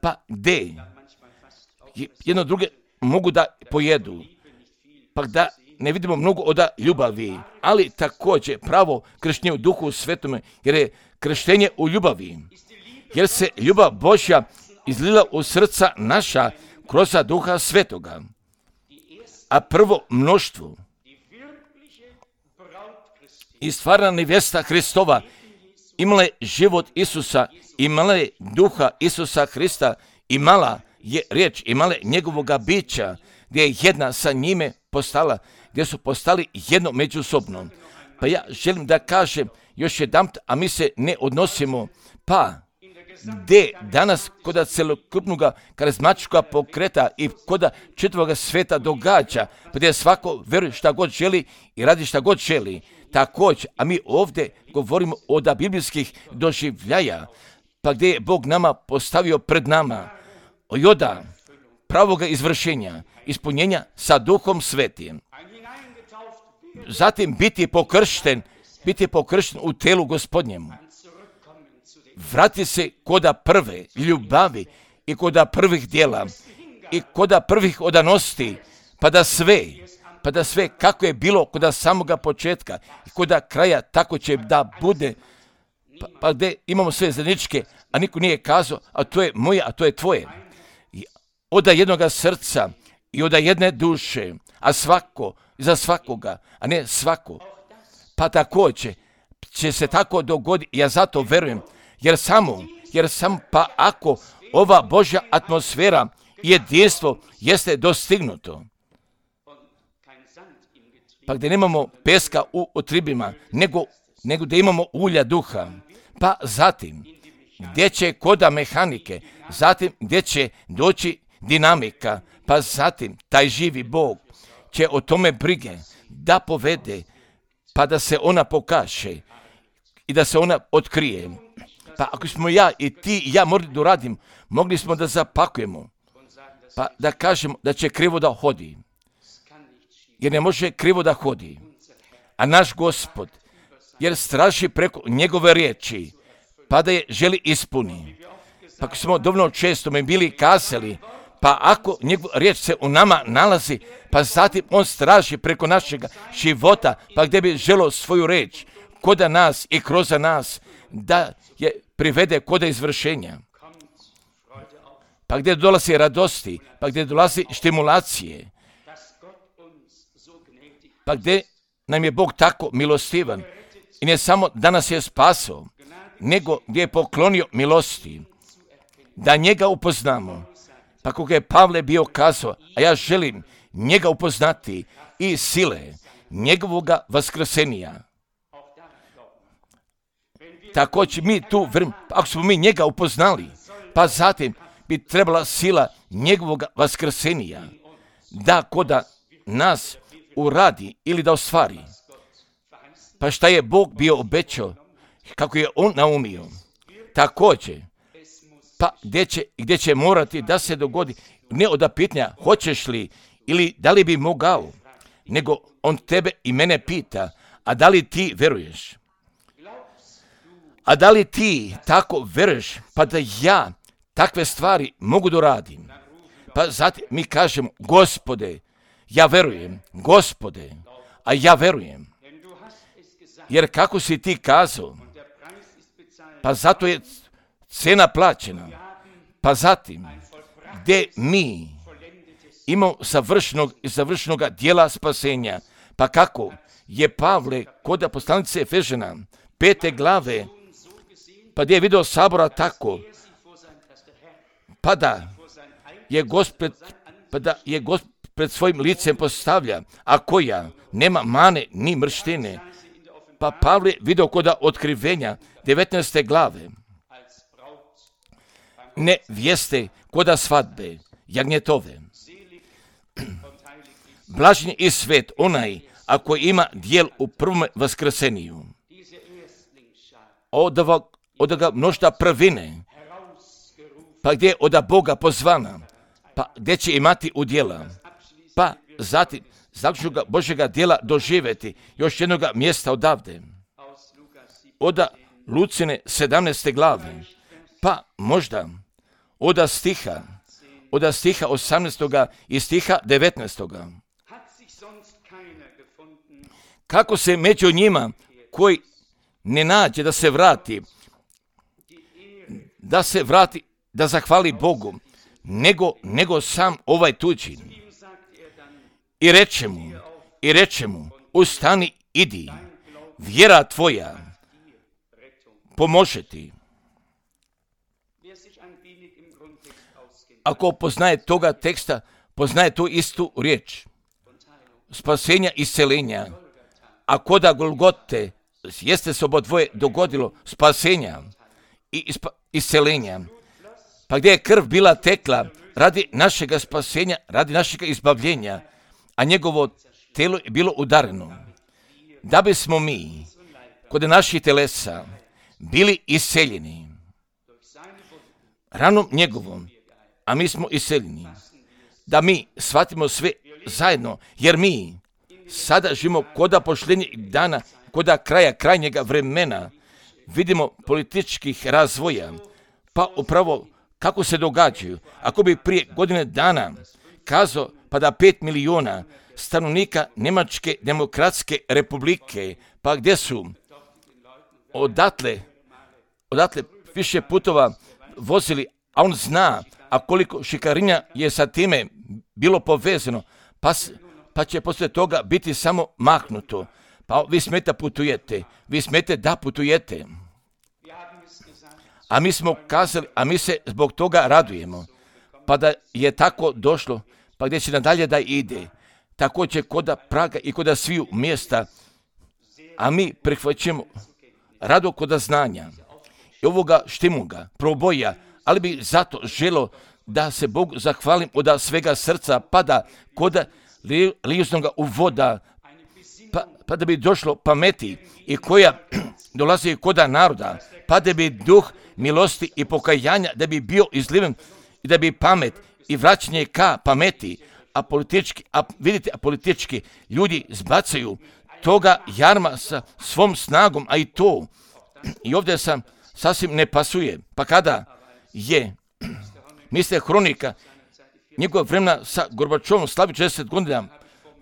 [SPEAKER 1] pa gdje jedno druge mogu da pojedu, pa da ne vidimo mnogo od ljubavi, ali također pravo krštenje u Duhu Svetome, jer je krštenje u ljubavi, jer se ljubav Božja izlila u srca naša kroz Duha Svetoga. A prvo mnoštvo i stvarna nevjesta Hristova imala je život Isusa, imala je Duha Isusa Hrista, imala je riječ, imala je njegovoga bića, gdje je jedna sa njime postala, gdje su postali jedno međusobno. Pa ja želim da kažem još jedanput, a mi se ne odnosimo, pa gdje danas kod celokupnog karizmatičkog pokreta i kod čitavog sveta događa, pa gdje svako veruje šta god želi i radi šta god želi. Također, a mi ovdje govorimo od biblijskih doživljaja, pa gdje je Bog nama postavio pred nama od pravoga izvršenja, ispunjenja sa Duhom Svetim. Zatim biti pokršten u telu Gospodnjemu. Vrati se kod prve ljubavi i kod prvih djela i kod prvih odanosti, pa da sve kako je bilo kod samoga početka i kod kraja, tako će da bude, pa gdje imamo sve zajedničke, a niko nije kazao, a to je moje, a to je tvoje. Od jednoga srca i od jedne duše, a svako za svakoga, a ne svako. Pa također će se tako dogoditi, ja zato verujem, jer samo pa ako ova Božja atmosfera i jedinstvo jeste dostignuto, pa gdje nemamo peska u otribima, nego da imamo ulja duha, pa zatim gdje će koda mehanike, zatim gdje će doći dinamika, pa zatim taj živi Bog će o tome brige da povede, pa da se ona pokaže i da se ona otkrije. Pa ako smo ja i ti i ja morali da uradim, mogli smo da zapakujemo, pa da kažemo da će krivo da hodi, jer ne može krivo da hodi. A naš Gospod, jer straži preko njegove riječi, pa da je želi ispuni. Pa ako smo dovoljno često mi bili kazali, pa ako njegova riječ se u nama nalazi, pa zatim on straži preko našeg života, pa gdje bi želio svoju riječ kod nas i kroz nas, da je privede kod izvršenja. Pa gdje dolazi radosti, pa gdje dolazi stimulacije, pa gdje nam je Bog tako milostivan i ne samo da nas je spasao, nego gdje je poklonio milosti, da njega upoznamo. Pa kako je Pavle bio kazao, a ja želim njega upoznati i sile njegovoga vaskrsenja. Također mi tu, ako smo mi njega upoznali, pa zatim bi trebala sila njegovog vaskrsenja da koda nas uradi ili da ostvari. Pa šta je Bog bio obećao, kako je on naumio. Također, pa gdje će morati da se dogodi, ne od pitanja hoćeš li ili da li bi mogao, nego on tebe i mene pita, a da li ti veruješ? A da li ti tako veruješ, pa da ja takve stvari mogu da radim? Pa zatim mi kažemo, Gospode, ja verujem, Gospode, a ja verujem. Jer kako si ti kazao, pa zato je cena plaćena. Pa zatim, gdje mi imamo savršenog dijela spasenja, pa kako je Pavle kod poslanice Efežana 5. glave, pa gdje je vidio sabora tako, pa da je Gospod pred svojim licem postavlja, a koja nema mane ni mrštine. Pa Pavle vidio kod otkrivenja 19. glave, ne vijeste koda svadbe, jagnjetove. Blažen i svet onaj, ako ima dijel u prvom vaskrseniju. Od ga množda prvine, pa gdje je od Boga pozvana, pa gdje će imati udjela, pa zatim zaključnoga Božjega djela doživjeti još jednoga mjesta odavde. Od Lucine 17. glave, pa možda od stiha 18. i stiha 19. Kako se među njima koji ne nađe da se vrati, da zahvali Bogu, nego sam ovaj tuđi. I reče mu, ustani, idi, vjera tvoja pomože ti. Ako poznaje toga teksta, poznaje tu istu riječ. Spasenja i isceljenja. A koda Golgote jeste se obodvoje dogodilo spasenja i isceljenja. Pa gdje je krv bila tekla radi našega spasenja, radi našega izbavljenja, a njegovo telo je bilo udareno. Da bismo mi kod naših telesa bili isceljeni ranom njegovom, a mi smo isceljeni. Da mi shvatimo sve zajedno, jer mi sada živimo koda pošljenjeg dana, koda kraja krajnjega vremena, vidimo političkih razvoja, pa upravo kako se događaju. Ako bi prije godine dana kazao pa da 5 miliona stanovnika Njemačke demokratske republike, pa gdje su odatle više putova vozili, a on zna, a koliko šikarinja je sa time bilo povezano, pa će poslije toga biti samo mahnuto. Pa vi smete putujete, vi smete da putujete. A mi smo kazali, a mi se zbog toga radujemo. Pa da je tako došlo, pa gdje će nadalje da ide. Tako će koda Praga i koda sviju mjesta, a mi prihvaćamo rado koda znanja. I ovoga štimuga, proboja, ali bi zato želo da se Bogu zahvalim od svega srca, pa da koda lijuznoga uvoda, pa da bi došlo pameti i koja dolazi koda naroda, pa da bi duh milosti i pokajanja, da bi bio izliven i da bi pamet i vraćanje ka pameti, a politički ljudi zbacaju toga jarma sa svom snagom, a i to. I ovdje sam sasvim ne pasuje. Pa kada je, misle Hronika, njegov vremena sa Gorbačovom slavi 60 godina,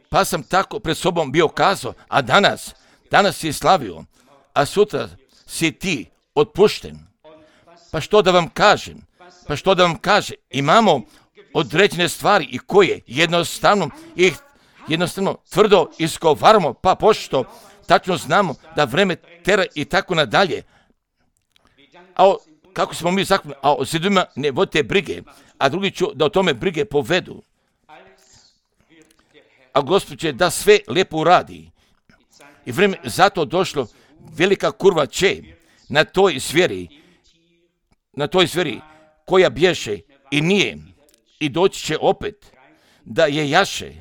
[SPEAKER 1] pa sam tako pred sobom bio kazao, a danas si slavio, a sutra si ti otpušten. Pa što da vam kažem? Imamo određene stvari i koje jednostavno tvrdo izgovaramo, pa pošto tačno znamo da vreme tera i tako nadalje. A kako smo mi zakoni, a o zidovima ne vodite brige, a drugi ću da o tome brige povedu. A Gospod će da sve lijepo uradi. I vreme zato došlo, velika kurva će na toj zveri koja bješe i nije i doći će opet da je jaše.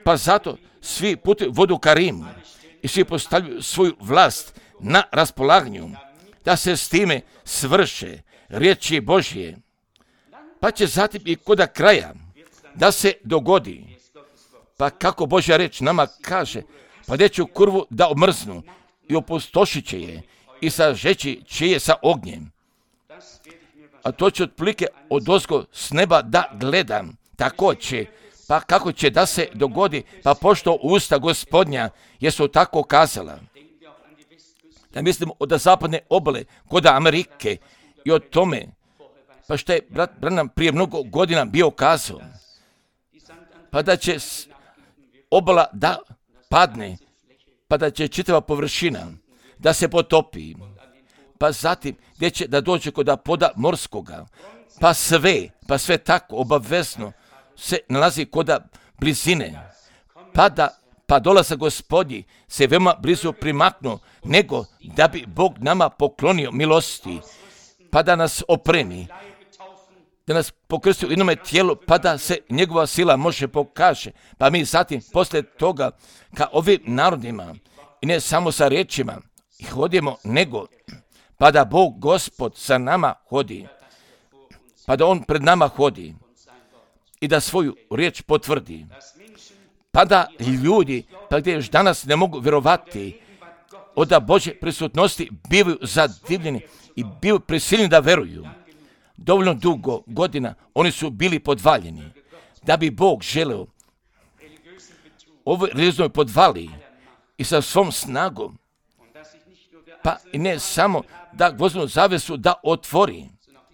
[SPEAKER 1] Pa zato svi putuju vodu ka Rimu i svi postavljaju svoju vlast na raspolaganju da se s time svrše riječi Božje. Pa će zatim i koda kraja da se dogodi. Pa kako Božja reč nama kaže, pa deću kurvu da omrznu i opustošit će je i sažeći će je sa ognjem. A to će otprilike odozgo s neba da gledam. Tako će, pa kako će da se dogodi, pa pošto usta Gospodnja jesu tako kazala. da mislimo od zapadne obale, kod Amerike i o tome, pa što je brat Branham prije mnogo godina bio kazao, pa da će obala da padne, pa da će čitava površina da se potopi, pa zatim gdje će da dođe kod poda morskoga, pa sve tako obavezno se nalazi kod blizine, pa dolazak Gospodnji se veoma blizu primaknuo, nego da bi Bog nama poklonio milosti, pa da nas opremi, da nas pokrsti u jednome tijelu, pa da se njegova sila može pokaže. Pa mi zatim poslije toga ka ovim narodima, i ne samo sa riječima, hodimo, nego pa da Bog Gospod sa nama hodi, pa da On pred nama hodi i da svoju riječ potvrdi. Pa da ljudi, pa gdje još danas ne mogu vjerovati od Božje prisutnosti, bivaju zadivljeni i bivaju prisiljeni da veruju. Dovoljno dugo godina oni su bili podvaljeni, da bi Bog želeo ovoj religijoznoj podvali i sa svom snagom, pa i ne samo da gvozdenu zavesu da otvori,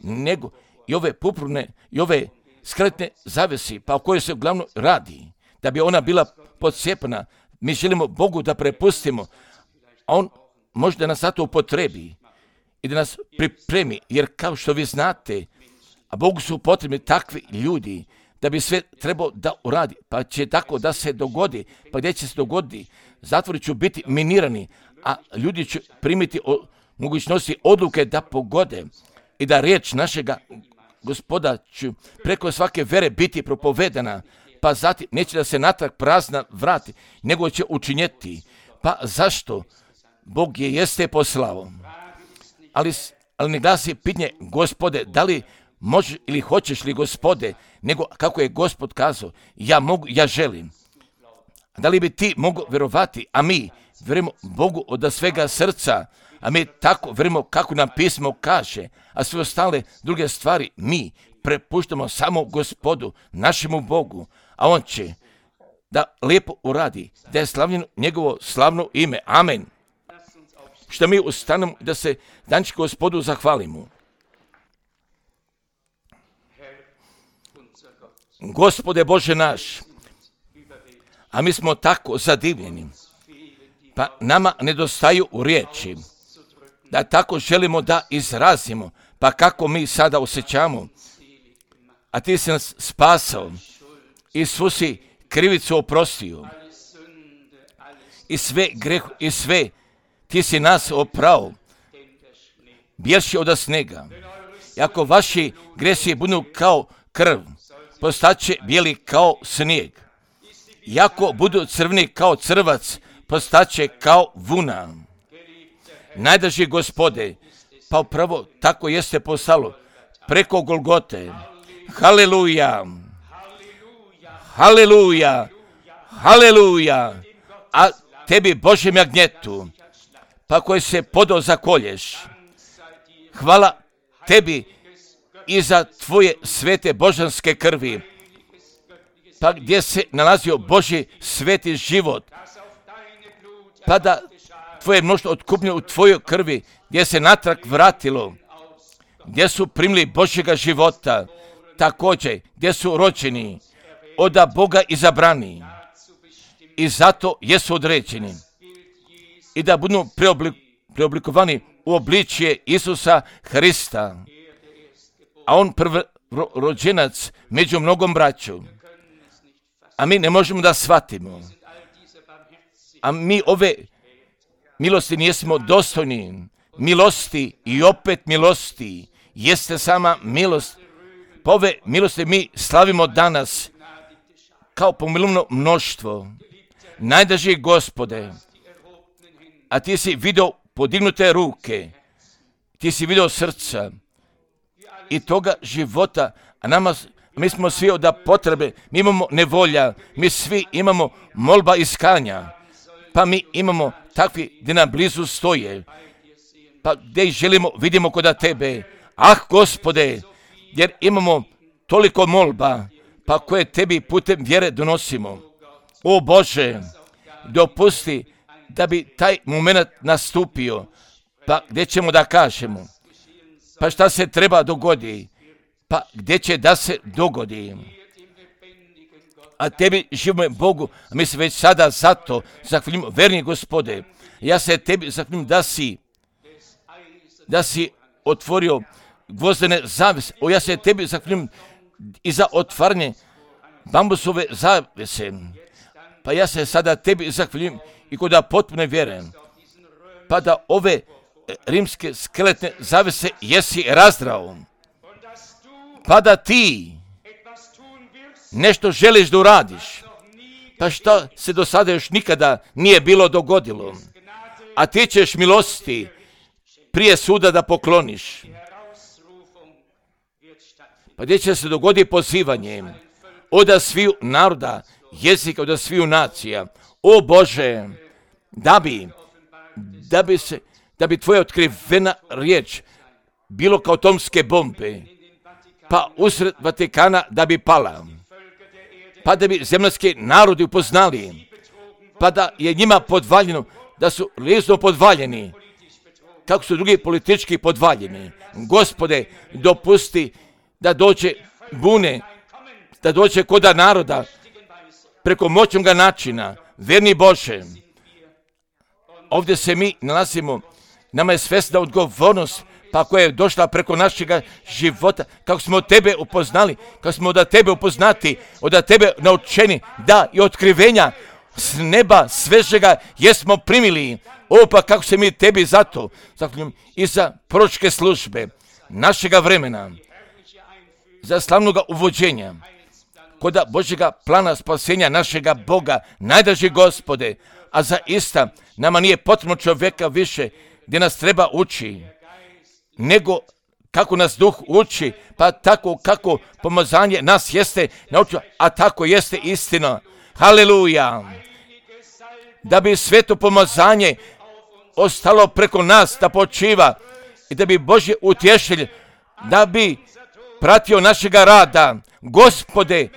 [SPEAKER 1] nego i ove pupurne i ove skretne zavesi, pa o kojoj se uglavnom radi, da bi ona bila podsjepana. Mi želimo Bogu da prepustimo, a On može da nas zato upotrebi i da nas pripremi, jer kao što vi znate, a Bogu su potrebni takvi ljudi da bi sve trebao da uradi, pa će tako da se dogodi, pa gdje će se dogoditi, zatvori će biti minirani, a ljudi će primiti mogućnosti odluke da pogode i da riječ našega Gospoda će preko svake vere biti propovedana, pa zatim neće da se natrag prazna vrati, nego će učinjeti. Pa zašto? Bog je jeste poslao. Ali ne glasi pitanje, Gospode, da li možeš ili hoćeš li, Gospode, nego kako je Gospod kazao, ja mogu, ja želim. Da li bi ti mogao vjerovati, a mi vjerujemo Bogu od svega srca, a mi tako vjerujemo kako nam pismo kaže, a sve ostale druge stvari mi prepuštamo samo Gospodu, našemu Bogu, a On će da lijepo uradi, da je slavljeno njegovo slavno ime. Amen. Što mi ustanemo da se danči Gospodu zahvalimo. Gospode Bože naš, a mi smo tako zadivljeni, pa nama nedostaju u riječi, da tako želimo da izrazimo, pa kako mi sada osjećamo, a ti si nas spasao i svu si krivicu oprostio i sve greh i sve ti si nas oprao, bjelši od snega. I ako vaši gresi budu kao krv, postaće bijeli kao snijeg. I ako budu crveni kao crvac, postaće kao vuna. Najdraži Gospode, pa upravo tako jeste postalo preko Golgote. Haleluja, haleluja, haleluja. A tebi, Božjem jagnjetu, pa koji se podao zakolješ, hvala tebi i za tvoje svete božanske krvi, pa gdje se nalazio Božji sveti život, pa da tvoje mnoštvo otkupljeno u tvojoj krvi, gdje se natrag vratilo, gdje su primili Božjega života, također gdje su rođeni od Boga izabrani i zato jesu određeni i da budu preoblikovani u obličje Isusa Hrista, a On prvorođenac među mnogom braću, a mi ne možemo da shvatimo, a mi ove milosti nismo dostojni, milosti i opet milosti, jeste sama milost, pa ove milosti mi slavimo danas kao pomilovno mnoštvo. Najdraži Gospode, a ti si vidio podignute ruke, ti si vidio srca i toga života, a mi smo svi od potrebe, mi imamo nevolja, mi svi imamo molba iskanja, pa mi imamo takvi gdje nam blizu stoje, pa gdje želimo, vidimo kod tebe. Ah, Gospode, jer imamo toliko molba, pa koje tebi putem vjere donosimo. O Bože, dopusti da bi taj moment nastupio, Pa gdje ćemo da kažemo? Pa šta se treba dogodi? Pa gdje će da se dogodi? A tebi, živome Bogu, mi se već sada zato zahvaljujemo, verni Gospode. Ja se tebi zahvaljujem da si otvorio gvozdene zavese. Ja se tebi zahvaljujem i za otvaranje bambusove zavese. Pa ja se sada tebi zahvaljujem i kod potpune vjere. Pa da ove rimske skeletne zavese jesi razdrao. Pa da ti nešto želiš da uradiš. Pa što se do sada još nikada nije bilo dogodilo. A ti ćeš milosti prije suda da pokloniš. Pa gdje će se dogoditi pozivanje od sviju naroda, jezika, od sviju nacija. O Bože, da bi tvoja otkrivena riječ bilo kao atomske bombe, pa usred Vatikana da bi pala, pa da bi zemaljski narodi upoznali, pa da je njima podvaljeno, da su lijezo podvaljeni, kako su drugi politički podvaljeni. Gospode, dopusti da dođe bune, da dođe koda naroda preko moćnoga načina. Verni Bože, ovdje se mi nalazimo, nama je svesna odgovornost, pa koja je došla preko našega života, kako smo od tebe upoznali, kako smo od tebe upoznati, od tebe naučeni, da i otkrivenja s neba svežega jesmo primili. O, pa kako se mi tebi zato zahvaljujem i za proročke službe našega vremena, za slavnoga uvođenja kod Božjega plana spasenja našega Boga, najdraži Gospode, a za ista nama nije potrebno čovjeka više gdje nas treba uči, nego kako nas Duh uči, pa tako kako pomazanje nas jeste naučio, a tako jeste istina. Haleluja! Da bi sveto pomazanje ostalo preko nas da počiva i da bi Božji utješitelj, da bi pratio našega rada. Gospode,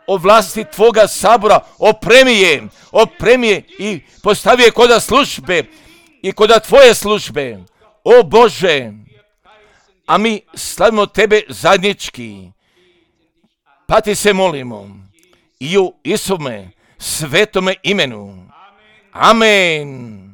[SPEAKER 1] o vlasti tvoga sabora opremi je i postavi je koda službe i koda tvoje službe. O Bože, a mi slavimo tebe zajednički, pa ti se molimo i u Isuvome svetome imenu. Amen.